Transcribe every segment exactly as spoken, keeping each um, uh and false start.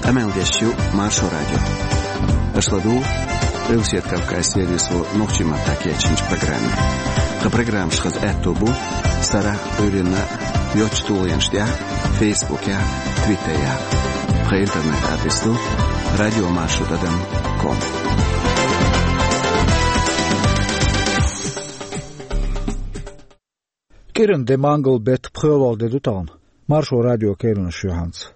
Къамел деш ю Маршо радио. Аша ладугӀу Къилбаседа Кавказан сервисо нохчийн маттахь кечйинчу программе. Тхан программаш хаза аьтто бу сарахь а, Ӏуьйранна а йоцчу тулгӀенаш тӀехь а, Фейсбукехь а, Твиттерехь а. Тхан интернет-адрес ду радиомаршо тӀадам ком. КӀиранан де, мангал беттан пхоьалгӀа де ду тахана. Маршо радион керланаш ю хьанца.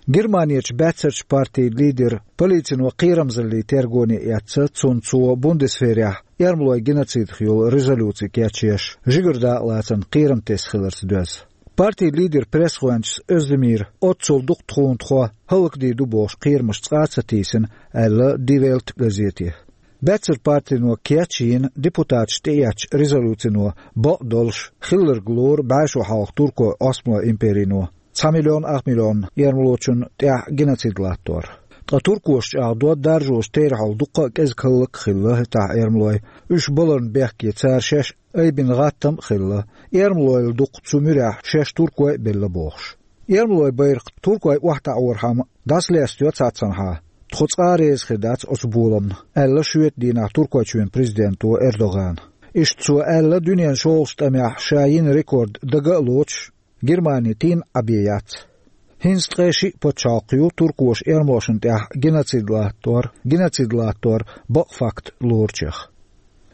Германерчу баьццарчу партин лидер полицино кхерамзаллин тергоне эцна, цунна цо Бундесверехь эрмалойн геноцидах йолу резолюци кечъеш, жигара дакъалацарна кхерам тесна хиларца доьзна. Партин лидеран пресс-гӀоьнчас Оьздемир оццул дукха тхуна тхо хӀаллакдийр ду бохуш кхерамаш цкъа а ца тийсина, аьлла Ди Вельт газете. Баьццарчу партино кечйина депутаташ тӀеэцначу резолюцино бакъ долуш хилларг лору бӀе шо хьалха туркойн Османлойн империно цхьа миллион ах миллион эрмалочунна тӀехь геноцид латтор. Ткъа туркоша чӀагӀдо, даржочу терахьал дуккха а кӀезиг хӀаллак а хилла хӀетахь эрмалой, уьш баларна бехке цара шаьш айбина гӀаттам а хилла, эрмалойла дукха цу муьрехь шаьш туркой а белла бохуш. Эрмалойн байракх туркой охьатаӀорхьама дӀасалестайо цхьаццанхьа, тхо цкъа а реза хир дац оцу боламна, аьлла шоьтан дийнахь Туркойчоьнан президенто Эрдогана. Иштта цо аьлла, дуьненан шолгӀачу тӀамехь ша йина рекорд дага а лоцуш, Германи тийна Ӏа бен яц. ХӀинца ткъе шиъ пачхьалкх ю туркоша эрмалошна тӀехь геноцид латтор, геноцид латтор бакъ факт лоручех.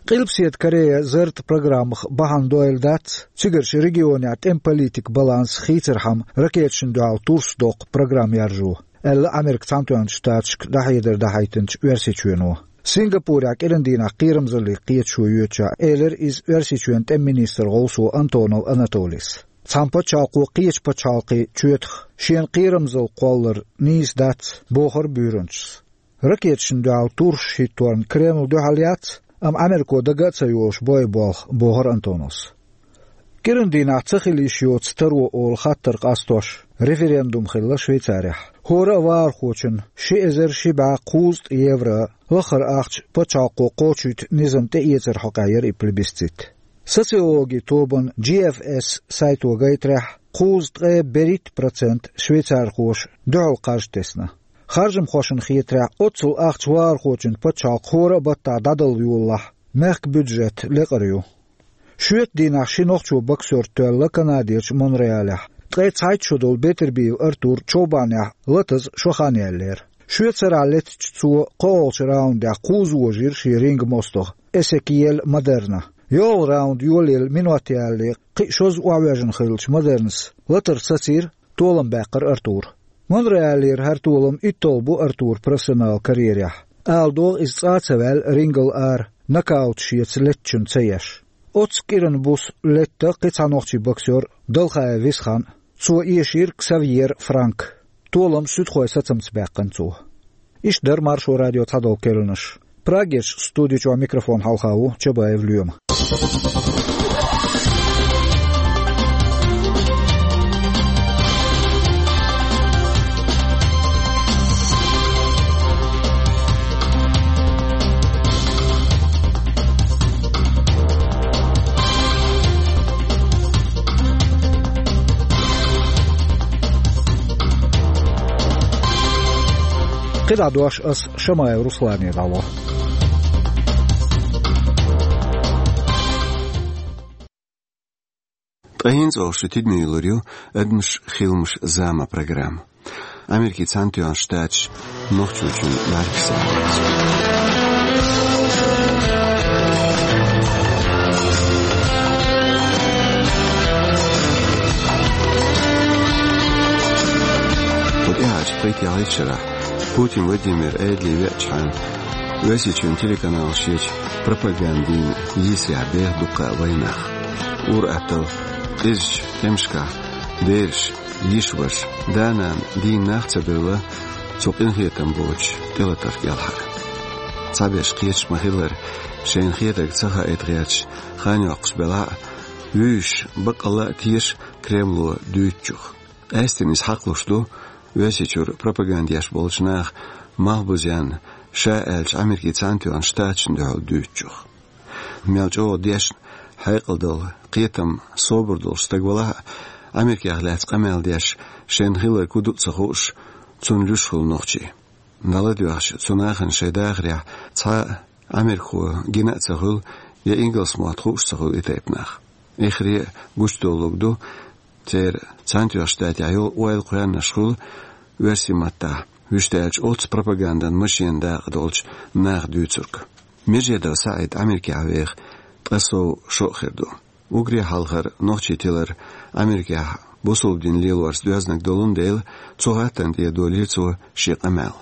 Къилбаседа Корея зарратан программах бахьана дойла дац цигарчу регионехь тӀеман политикан баланс хийцархьама ракеташна дуьхьал турс доккху программа яржо, аьлла Америкин Цхьаьнатоьхначу Штаташка дӀахьедар дахьийтинчу Оьрсийчоьно. Сингапурехь кӀиранан дийнахь кхерамзаллин кхеташо йоьдучохь элира иза Оьрсийчоьнан тӀеман министран гӀовсо Антонов Анатолийс. Цхьана пачхьалкхо кхечу пачхьалкхийн чоьтах шена кхерамзалла кхоллар нийса дац, бохура буьйранчас. Ракеташна дуьхьал турсаш хӀитторна Кремль дуьхьал яц, амма Америко дага а ца йолуш бой болх, бохура Антоновс. КӀиранан дийнахь ца хила йиш йоцу таро олу хаттар къастош референдум хилла Швейцарехь. ХӀора а вахархочунна ши эзар ши бӀе кхузткъа евро лаххара ахча пачхьалкхо кхочуьйту низам тӀеэцаран хьокъехь яра и плебисцит. Социологин тобанан Джи Эф Эс сайто гайтарехь, кхузткъе берхӀитта процент швейцархоша дуьхьал кхаж тесна. Харжамхошна хетарехь, оццул ахча вахархочун пачхьалкх хӀора а баттахь дӀадала йолалахь, мехкан бюджет лекъар ю. Шоьтан дийнахь ши нохчо боксёр тоьлла Канадерчу Монреалехь. Ткъе цхьайтта шо долу Бетербиев Артур човбанехь латаза шо хан яьллера. Шоьтан сарахь леттачу цо кхоалгӀачу раундехь кхузза вожийра шен ринган мостагӀа Эсекиель Модерна. ЙолгӀа раунд йолаелла минот ялале кхин а шозза охьавоьжна хиллачу Модернас латар сацийра, толам баьккхира Артура. Монреалера хӀара толам итталгӀа бу Артуран профессионал карьерехь. Ала догӀу, иза цкъа а ца ваьлла рингал ара, нокаут шеца леттачунна ца еш. Оццу кӀиран буса летта кхин цхьа нохчийн боксёр Далхаев Висхан а. Цо эшийра Ксавьер Франк. Толам суьдхойн сацамца баьккхина цо. Иштта дара Маршо радион цхьадолу керланаш. Прагерчу студи чохь микрофон хьалха ву Чабаев Лоьма. КхидӀа дош ас Шамаев Руслане дӀало. Ткъа хӀинца оха шун тидаме йиллар ю «Адамаш, хиламаш, зама» программа. Америкин Цхьаьнатоьхначу Штаташа Нохчийчоьнан бӀаьргашца. Кху тӀаьхьарчу пхийтталгӀачу шарахь Путин Владимир Ӏедале веача хьаьна, Оьрсийчоьнан телеканалаш ечу пропагандин йийсарехь беха дуккха а вайнах. Ур-атталла къизачу тӀемашкахь бераш, йиша-ваша, да-нана дийна нах а ца бевлла, цу къинхетам боцуш тӀелатарх кӀелхьара. Цхьаберш кхеташ ма-хиллара, шайна хетарг ца хаийта гӀерташ хан йоккхуш белахь а, вуьйш, баккъалла а теша Кремло дуьйцучух. Къаьсттина иза хьакхалуш ду Оьрсийчуьра пропаганда еш болчу наха малхбузенна ша аьллачу Америкин Цхьаьнатоьхначу Штаташна дуьхьал дуьйцучух. Мел чӀогӀа дешна, хьекъал долу, кхетам, собар долуш стаг валахь а, Америкех лаьцна къамел деш, шайна хилларг хӀун ду а ца хууш, цунна луьйш хуьлу нохчий. ДӀаладоьгӀча, цу нахана шайн дахарехь цхьа а Ӏамеркахо гина а ца хуьлу, я ингалс мотт хууш ца хуьлу и тайпа нах. Эххар а гучудоллург ду церан Цхьаьнатоьхначу Штатехь йолу ойла кхоьллинарш хуьлу оьрсийн маттахь, вуьшта аьлча, оццу пропагандан машенан дакъа долчу наха дуьйцург. Миржедов СаӀид Ӏамеркехь веха ткъа сов шо а хир ду. Уггаре хьалхара нохчий тилар Ӏамеркехь бусалба дин лелорца доьзнарг долун дела, цу хаттарна тӀера долийра цо шен къамел.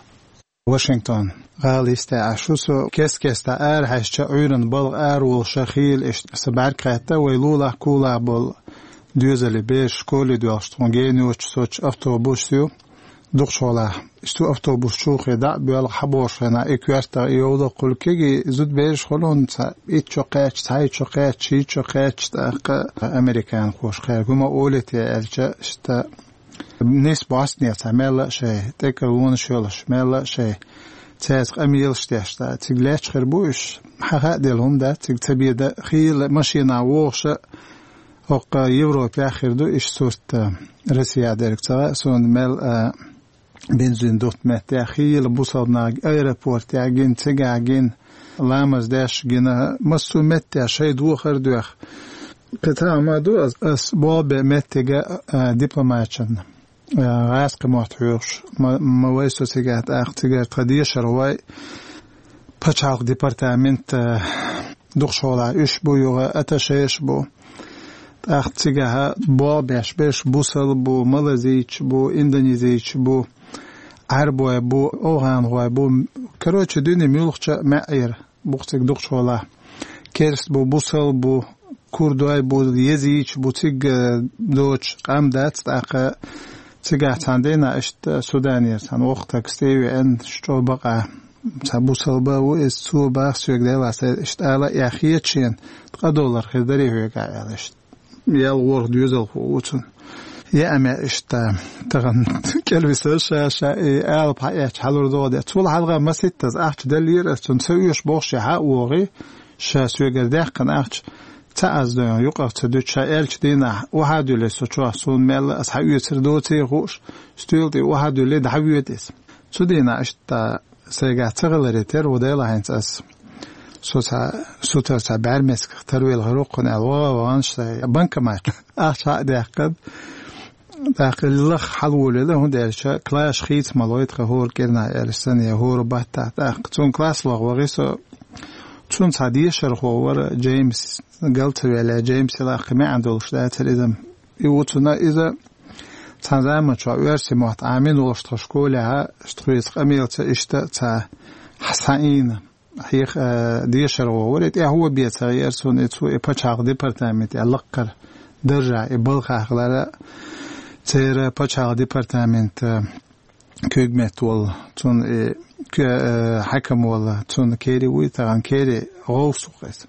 Вашингтон гӀала йисте Ӏаш ву со, кест-кеста арахьаьжча, Ӏуьйранна балха араволуш хийла иштта сан бӀаьрг хаьтта, вай лулахь-кулахь болу доьзале бераш школе доьлхуш, тхуна гена йоцуш соцуш автобус ю. Дукхачу хьолахь, иштта автобус чуххе дӀа а боьлху, хьан бохуш хенахь, и коьртах, и йовлакх хуьлу кегий зуда бераш хуьлу, хӀунда ца итт шо кхаьчча, цхьайтта шо кхаьчча, шийтта шо кхаьчча, тӀаккха американхоша кхаьрга хӀума олу те аьлча, иштта нисбо астане цхьа мелла а шай, тӀекӀара вонаш йолуш, мелла а шай, цаьрца къамелаш деш, цхьа цига лаьтташ хир бу уьш, хьан хаа делла хӀума дац, цига ца беда, хийла машина вогӀуша, хӀокху Европехь хир ду иштта сурт, Россия дерг ца хаьа суна, мел а бензин дутта меттехь, хийла бусалба нах аэропортехь гина, цигахь гина, ламаз деш гина, массо а меттехь шайн дохар а доьху. Кхин цхьа хӀума ду, ас, ас болх бен меттига, а, дипломаташна, а, гӀазкхи мотт хьоьхуш, ма, ма вай со цигахь, тӀаккха цигара тхан дешархой, пачхьалкх департамент, а, дукхачу хьолахь уьш бу, юха атташеш бу. ТӀаккха цигахь болх беш берш бусалба бу, малазийча бу, индонезийча бу, Ӏаьрбой бу, овхӀанхой бу. Короче, дуьне муьлххача а маьӀӀера бу-кх цига дукхачу хьолахь. Керст бу, бусалба бу, курдой бу, езийча бу, цига доцуш къам дац, тӀаккха цигахь цхьана дийнахь иштта Суданера цхьана воккха стаг стаг веана, чӀогӀа бакъахь, цхьа бусалба а ву иза, цо баха соьга, Делахь, сан иштта ала а эхь хета шена, ткъа доллар хир дарий хьоьгахь аьлла иштта. Ял ворхӀ доьзалхо ву цунна. Яа мел иштта, тахана кӀелвисар ша, ша и алапа хьаэцча хьалур догӀу де. Цул хьалха маситтаза ахча деллера ас цунна, ца оьшу бохуш, ша хьа а вогӀий, ша соьгара даьккхина ахча ца аз дойн, юкъах ца дуьту, ша аьллачу дийнахь, охьа а дуьллий со чохь, суна мелла ас хьаоьцур доций хууш, стоьла тӀе охьа а дуьллий, дӀахьавоьду иза. Цу дийнахь иштта сайгахь ца хиларе терра ву, Делахь, хӀинца ас. Со цхьа, сутара цхьа бӀаьрмецках тарвелла хир ву кхунна аьлла, ваха а вахана, шайн банкомат ахча хьа а даьккхина, тӀаккха лаха хьалаволийла, хӀунда аьлча класс хийца ма лой тхан хӀора кӀирнахь аьлла санна, я хӀора баттахь. ТӀаккха цунна класс лаха вахий со, цунна цхьа дешархо вара, Джеймс, гал ца ваьлла, Джеймс, и лаккхий маьӀна долуш дацара иза. И ву цунна иза, цхьана заманчохь оьрсийн мотт Ӏамийна волуш тхан школехь, тхоьца къамелца иштта цхьа схьаийна. Хьех, а, дешархо вара, и тӀаьхьо бен ца гӀера суна, и цо и пачхьалкх департамент, а, лаккхара даржа, и балхахь хилара, церан пачхьалкх департамент, а, куьйгметта волу, цунна и куь-, а, хьаькам волу, цунна кери вуй тахана, кери гӀовс ву-кх иза.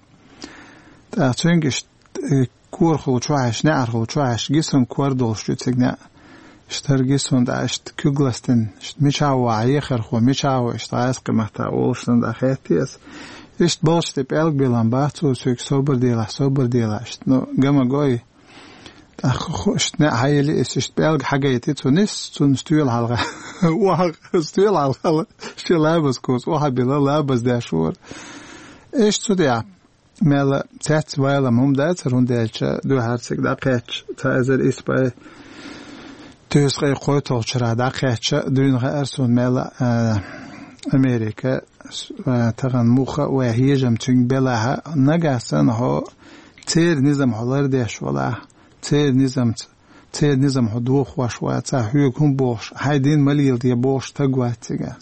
ТӀаккха цуьнга иштта, э, корахула чохь аш, неӀархула чохь аш, гисун кор долуш ю цига неӀ. Иштта гисун дӀа, иштта куьг ластина, иштта мичахь ву хьан ехархо, мичахь ву, иштта гӀазкхи маттахь олуш сан дӀа хеттий ас. Иштта балхаш тӀе пӀелг билан бац цо соьга, собар делахь, собар делахь, иштта, ну, гама гой. ТӀаккха ху-, иштта неӀ хьайили, ас иштта пӀелг хьагайти, цу нис, цунна стоьла хьалха. Охьа, стоьла хьалха, шен лабаз куц, охьа била, лабаз деш вара. Иштта цу тӀехь. Мел цецвалам хӀума дацара, хӀунда аьлча дуьххьара цига дӀакхаьчча, цхьа эзар исс бӀе тӀе кхойтталгӀачу шарахь дӀакхаьчча, дуьйна хаьара суна мел, а, Америка, с-, а, тахана муха а вай хьежам цуьнга белахь, нагахь санна хьо церан низам хьо лардеш валахь, церан низамца Церан низам хьо дохош вац, хьоьга хӀун бохуш, хьайн дин ма леладе бохуш стаг вац цигахь.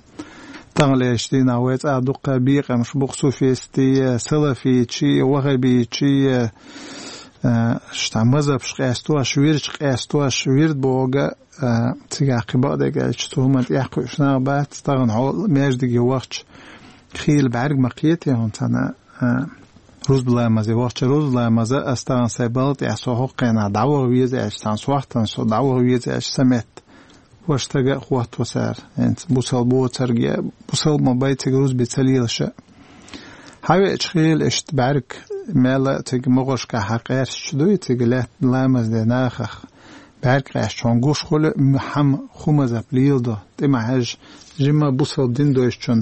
Таханлерчу дийнахь вай цӀа дуккха бекъамаш бу-кх суфистий, салафичий, ваххабичий, а, шта мазхабаш къестош, вирдаш къестош, вирд бохург, а, цигахь кхин бакъдерг аьлча, цу хӀуманна тӀекхуьуш нах бац, тахана хьо маьждиге вахча, хийла бӀаьрг ма кхетий хьуна цхьана, а, рузба ламазе вахча, рузба ламаза ас тахана сайн балха тӀехь со хӀокху хенахь дӀаваха веза аьлча, цхьана сохьтана со дӀаваха веза аьлча, сан метта. Ваша стага а хӀотто цара, хӀинца бусалба боцург я бусалба ма бай цига рузби ца лелаша. Хьавеача хийла иштта бӀаьрг мел а цига могӀаршкахь хьан къаьрсачу дуй, цига лаьтта ламаз де нахах. бӀаргкъаьстачун гуш хуьлу, м-, хьан хӀун мазхӀаб леладо, тӀе ма хьаьжжа, жимма бусалба дин дойчун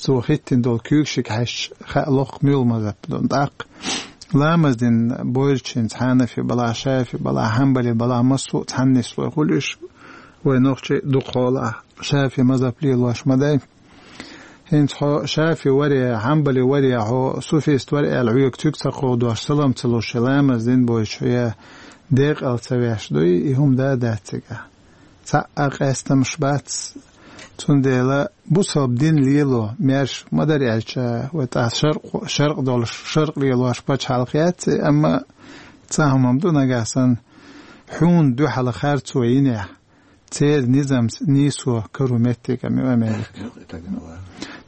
цо хӀиттина долу куьйгашка хьаьжча, хаа локху муьлха мазхӀаб ду. ТӀаккха ламаз дина бойрачуьнца хьанафи балахь, шафи балахь, хьанбали балахь, массо а цхьана нислой хуьлу уьш, вай нохчий дукха хьолахь шафи мазхӀаб лелош ма дай. ХӀинца хьо шафи варе, хьанбали варе, хьо суфист варе аьлла, хьоьга цуьнга ца кховдош, салам ца луш, ламаз дина бойчу я декъала ца веш дуй, и хӀума да дац цигахь. Цхьа а къаьстамаш бац, цундела бусалба дин лело, маьрша ма дара аьлча, вай тӀаккха шаркъ-, шаркъ долуш, шаркъ лелош пачхьалкх яц, амма цхьа хӀума ду нагахь санна, хьуна дуьхьал харцо йинехь, церан низамца нийсо каро меттиг ма ю Америка.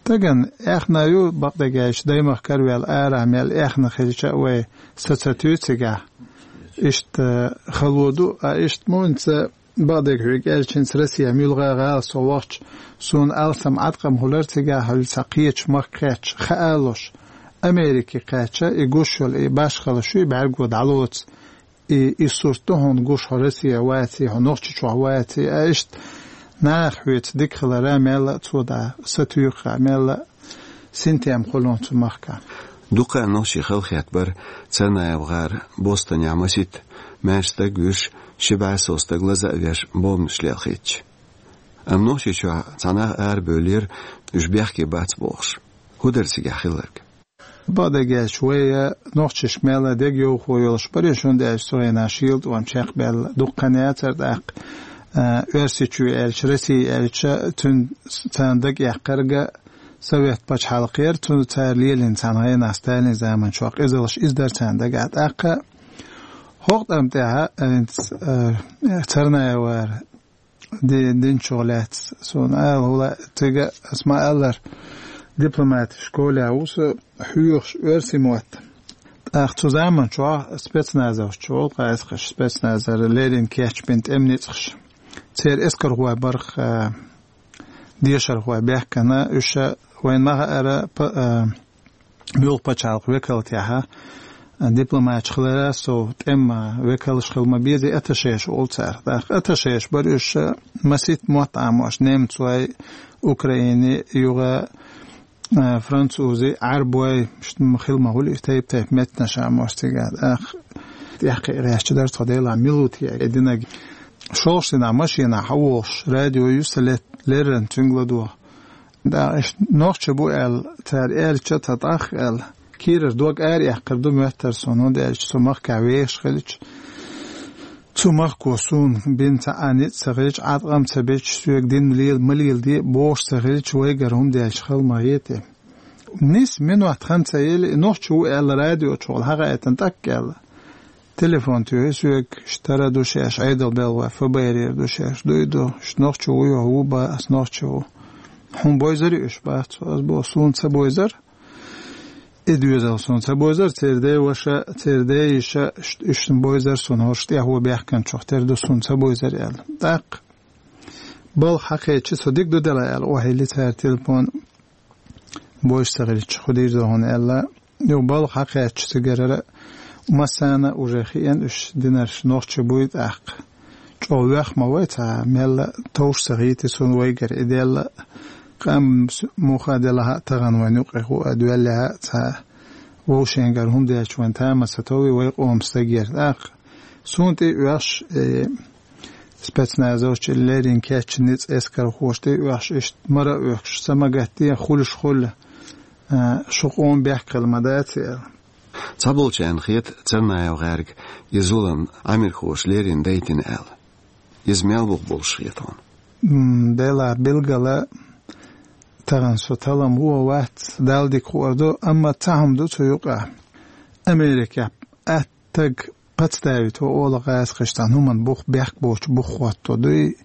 Тагана аьхна ю, бакъдерг аьлча, даймахкара ваьлла, арахь мел аьхна хилча а вай са ца туьйцу цигахь. Иштта хало ду, а иштта мунца бакъдерг хьоьга аьлча, хӀинца Россия муьлхха гӀала со вахча, суна алсам Ӏаткъам хуьлура цигахь хьуьлла цхьа кхечу махка кхаьчча, хаа луш, Америке кхаьчча, и гуш йолу, и башхалла шуй бӀаьрго дӀалоцу, и, и сурт ду хьуна гуш, хьо Россия ваций, хьо Нохчийчохь ваций, а иштта наха хьоьца дика хилара мелла а цо дӀа са туьйхира, мелла а синтем хуьлу цу махка. Дукха нохчий халахетта бара Царнаев-гӀар, Бостонехь масийтта маьрша стаг вуьйш, ши бӀе сов стаг лаза а веш, бомбанаш лелхийтча. Амма Нохчийчохь цхьа нах арабевллера, уьш бехке бац бохуш. ХӀун дара цигахь хилларг? Бакъдерг аьлча, вай нохчашка мелла а дегайовхо йолуш бара, хӀунда аьлча цу хенахь шийла тӀом чекхбаьлла дуккха хан яцара тӀаккха, а, Оьрсийчоь аьлча, Россия аьлча, цуьнан царна дага эккхарг Совет пачхьалкх яра, цунна цара лелийна цхьана хенахь Сталин заманчохь къизаллаш, иза дара царна дагахь. ТӀаккха хӀокху тӀам тӀехь, а, хӀинца, а, Царнаев-гӀар ди-, динчух лаьцна суна ала хӀума, цига ас ма-аллара, дипломатийн школехь ву со хьоьхуш оьрсийн мотт. ТӀаккха цу заманчохь спецназовцаш волу, кхайсхаш спецназара леррина кечбина тӀеман ницкъаш. Церан эскархой бара-кх, а, дешархой баьхкина, уьш вайна ма хаьара, па-, а, муьлхха пачхьалкхан векалтехь, а, дипломаташ хилара сов, тӀеман векалш хила ма безий, атташеш олу цара. ТӀаккха атташеш бара уьш, а, масийтта мотт Ӏамош, немцой, украинций, юха, а, французий, Ӏарбой, ш-, м, хила ма хуьлу, тайп-тайпа меттанаш Ӏамош цигахь. ТӀаккха тӀехь кхиа гӀерташ дара тхо, делахь мила ву те и динарг. ШолгӀачу дийнахь машенахь хьан вогӀуш, радио ю сан лет-, леррина цуьнга ладогӀа. Да, иштта нохчи бу аьлла, цара аьлча, тхан тӀаккха аьлла, кийрара дог ара эккхар ду моьттура суна, хӀунда аьлча цу махкахь вешаш хилча, цу махко суна бина цхьа а ницкъ ца хилча, Ӏаткъам ца бича, соьга дин лела, ма леладе бохуш ца хилча, вайгара хӀума деш хила ма хета. Нис минот хан ца елла, и нохчи ву аьлла радиочухула хьан хаийтина тӀаккха аьлла. Телефон туьйхи соьга, иштта тара ду шаьш, Ӏедал белхалой, ФБР-ера ду шаьш, дуй ду, иштта нохчи ву, юха ву бан, ас нохчи ву. Хьуна бойзарий уьш, бац, ас боху, суна ца бойзар. И доьзал суна ца бойзар, церан ден ваша, церан ден йиша, ш-, уьш бойзар суна, хӀорш тӀаьхьо баьхкинчух тера ду суна ца бойзар аьлла. ТӀаккха балха хьакхечча, со дика ду дела аьлла, охьайилли цара телефон. Бойза ца хилча, хӀун дийр ду хьуна аьлла, юха балха хьакхаьчча цигара массарна а уже хиъна уьш динарш нохчий буй тӀаккха. ЧӀогӀа вех ма вай цхьа, мелла а товш ца хийти суна вайгара и делла. Къам с-, муха делахь а тахана вайн юкъе хӀуъа доьллехь а цхьа вовшенгара хӀума дечу вайн тамаса тови вай къоман стагера тӀаккха. Суна тӀе оьхуш, э, спецназовчу леррина кечйина ницкъ эскархоша тӀе оьхуш, иштта мара а оьхуш, са ма гатде, хуьлуш хуьлу, а, шу къоман бехк хила ма дац аьлла. Цхьаболчарна хета Царнаев-гӀаьрга и зулам Ӏамирхоша леррина дайтина аьлла. Иза мел бух болуш хета хьуна? М, делахь билгала тахана со талам ву а вац, Далла дика хуур ду, амма цхьа хӀума ду цу юкъахь. Америкехь аттаг подставить во олу гӀазкхаша цхьана хӀуманна бух, бехк боцу бух хӀотто дуй,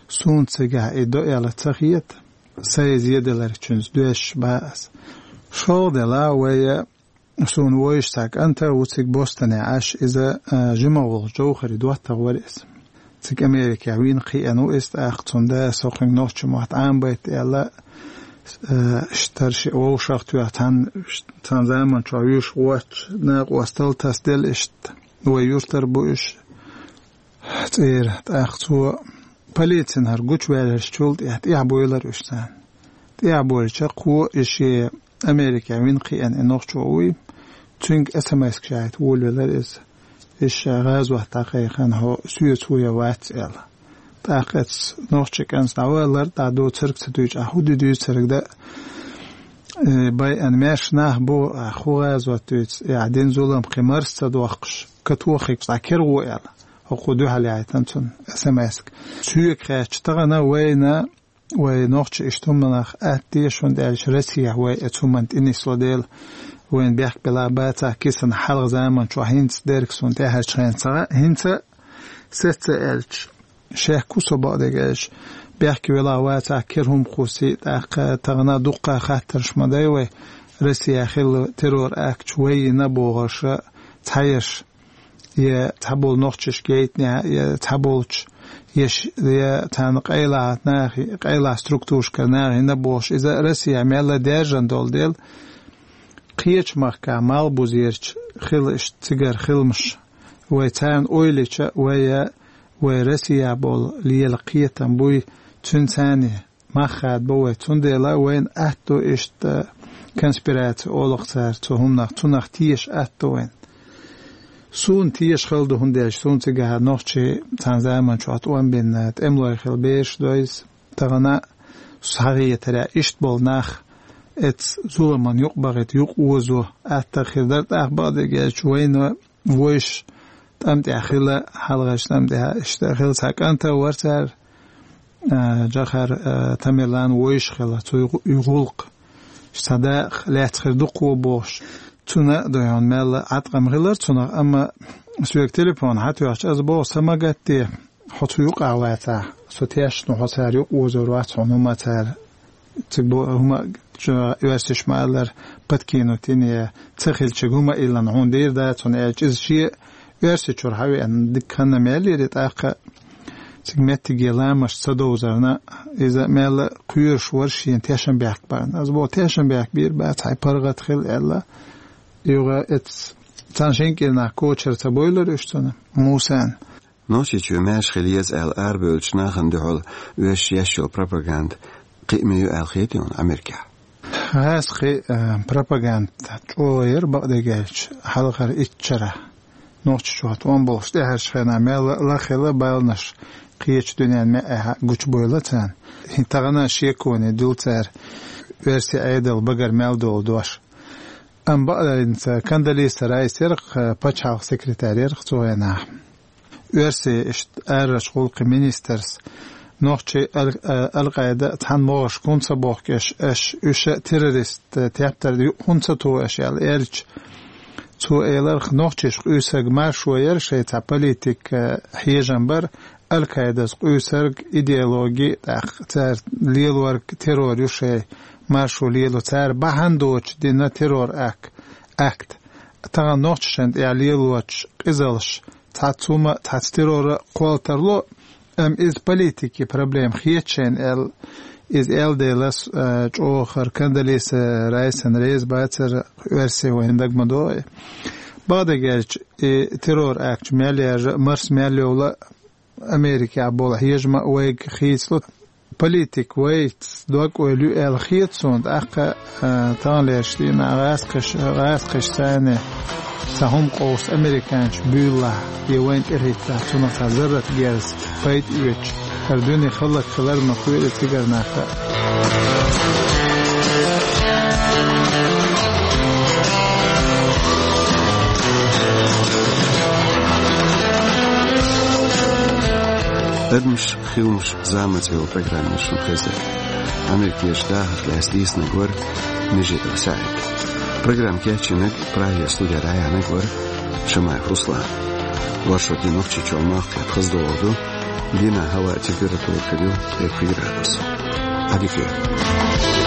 суна цигахь и до аьлла ца хета, сайн зеделларг чуьнца доьшуш бан ас. ШолгӀа делахь вай, суна вовзаш цхьа кӀант а ву цига Бостоне Ӏаш, иза, а, жима волчу Жовхари доттагӀа вара иза. Цига Америкехь вийна кхиъна ву иза тӀаккха, цунна да со кхуьнга нохчийн мотт Ӏамабайта аьлла, а, иштта шиъ вовшах тоьхна, цхьана, цхьана заманчохь вуьйш воцчу накъостал тасаделла иштта. Вай юьртара бу уьш. цӀера. ТӀаккха цо полицин хӀара гучаваьлларчул тӀехьа, тӀехьа буйлар уьш царна. ТӀехьа буйлча, кхо и шен Америкехь вина кхиъна и нохчо вуй, цуьнга эс эм эс-к шайтта волавелар иза. Иша гӀазот дӀакхайкхина, хьо соьца ву я вац аьлла. ТӀаккха эцца нохчи кӀанца дӀавалар, дӀа доцург ца дуьйча, ахь хӀу ду дуьйцург дан, э, байъан маьрша нах бу, ахь хӀу гӀазот дуьйцу, я дина зулам кхин марс ца дохкуш, катохийча дӀа кира гӀо аьлла. ХӀокхо дуьхьал яйтина цунна эс эм эс-к. Соьга хаьттича, тахана вайна, вай нохчий иштта хӀуманах атта деза, хӀунда аьлча Россехь вай эцца хӀуманна тӀе нисло дела, вайна бехк белахь бацахь кисана хьалха заман чохь, хӀинца дерг суна тӀаьхьарчу хенахь ца хаьа, хӀинца сецца аьлча, шек ву со, бакъдерг аьлча, бехке велахь вацахь кира хӀума кхуссий, тӀаккха тахана дуккха хаттарш ма дай вай, Россехь хилла террор-акташ вай йина бохурш, цхьаерш, я цхьаболу нохчашка яйтинехь, я цхьаболчу, я ш-, я царна къайлаха нахе, къайлаха структурашкара нахе йина бохуш, иза Россехь мелла даьржина долу дела, кхечу махкахь малхбузерчу хила иштта цигара хиламаш, вай царна ойла йича, вай, вай Россехь болу лела кхетам буй, цуьнан царна мах хадабо вай. Цундела вайна атто иштта конспираци олу-кх цара цу хӀуманах, цунах теша атто вайна. Суна теша хала ду, хӀунда аьлча суна цигахь нохчий цхьана заман чохь тӀом бина, тӀемалой хилла бераш дойза, тахана схьахетарехь иштта болу нах эцца зуламан юкъа бахийта, юкъа озо атта хир дара. ТӀаккха, бакъдерг аьлча, вайна вуьш тӀам тӀехь хилла, хьалхарчу тӀам тӀехь иштта хилла, цхьа кӀант а вара цара, а, Джохар, а, Тамерлан вуьш хилла, цу гӀу-, гӀуллакх, цхьа дакъа лаьцна хир ду-кх бохуш. Цунна а дуй хьуна мелла Ӏаткъам хилар цунах, амма соьга телефон хьатоьхча, аса боху, сан ма гатде, хьо цу юкъахь вацахь, со тешна ву, хьо цара юкъа озор вац, хьуна хӀума цара цига бо-, хӀума, чу, оьрсаша ма-аллара, подкинуть йина, я ца хиллачуьнга хӀума иллина хьуна дийр дац хьуна, аьлча, иза шен оьрсичуьра хьавеана дика ханна мел йира, тӀаккха цига меттиге ламазаш ца довзарна, иза мелла кхоьруш вара шена тешнабехк барна. Аса боху, тешнабехк бийр бац, хьайн паргӀат хила аьлла. Юха эцца цхьана шина кӀирнахь кочара ца буьйлура уьш цунна, Мусана. Нохчийчоь маьрша хила еза аьлла арабевллачу нахана дуьхьал оьшуш еш йолу пропаганда кхиаман ю аьлла хета хьуна Америкехь? ХӀинца кхин, э, пропаганда чӀогӀа яра, бакъдерг аьлча, хьалхара итт шарахь. Нохчийчохь тӀом болуш тӀаьхьарчу хенахь мел ла-, лаххила баланаш кхечу дуьненна маьӀӀехь гучубевлла царна. ХӀинца тахана шеконе дуьллу цара оьрсийн Ӏедал багара мел долу дош. Амма бакъдерг аьлча, Кондолиза Райс яра-кх, э, пачхьалкхан секретарь яра-кх цу хенахь. Оьрсийн иштта арарчу гӀуллакхийн министрс, нохчий ал-, а, Ал-Къайда цхьана могӀаршка хӀунда ца бохкуш, аша уьш а террорист, а, тептар ю-, хӀунда ца тухуш аьлла аьлча, цо элира-кх, нохчашка къуьйсург маршо яра, шайн цхьа политик, а, хьежам бара, Ал-Къайдас къуьйсург идеологи, тӀаккха цара лелорг террор ю, шайн маршо лело. Цара бахьана доцуш дина террор ак-, акт. Тахана нохчашна тӀехь лелочу къизалш цхьацца хӀума, цхьацца террора кхолла тарло, амма иза политикин проблема хеташ шайна аьлла, иза аьлла делахь, а, чӀогӀа хӀара Кондолиза Райсана реза бацара оьрсий, вайна дага ма догӀу. Бакъдерг аьлча, и террор акт мел яржа, марс мел йовла, Америкехь болу хьежам а вайга хийцалу. Политик вайца дог-ойла ю аьлла хета суна, тӀаккха, а, таханлерчу дийнахь гӀазкхаша, гӀазкхаша царна цхьа хӀума къовса американцаша буьйлалахь, я вайна тӀехӀиттахь, цунах цхьа зарратан герз пайда оьцуш, хӀара дуьне хӀаллакьхилар ма кхоьру цигара нах а. «Адамаш, хиламаш, зама» цӀе йолу программа шуна хезира. Америкерчу дахарх лаьцна дийцинарг вара Межидов СаӀид. Программа кечйинарг, Прагера студера дӀаяьхьнарг вара Шамаев Руслан. Вайн шун дийнахь Нохчийчоь малх кхетта хаза догӀур ду, дийнахь хӀаваан температура хир ю пхи градус. Ӏадика йойла.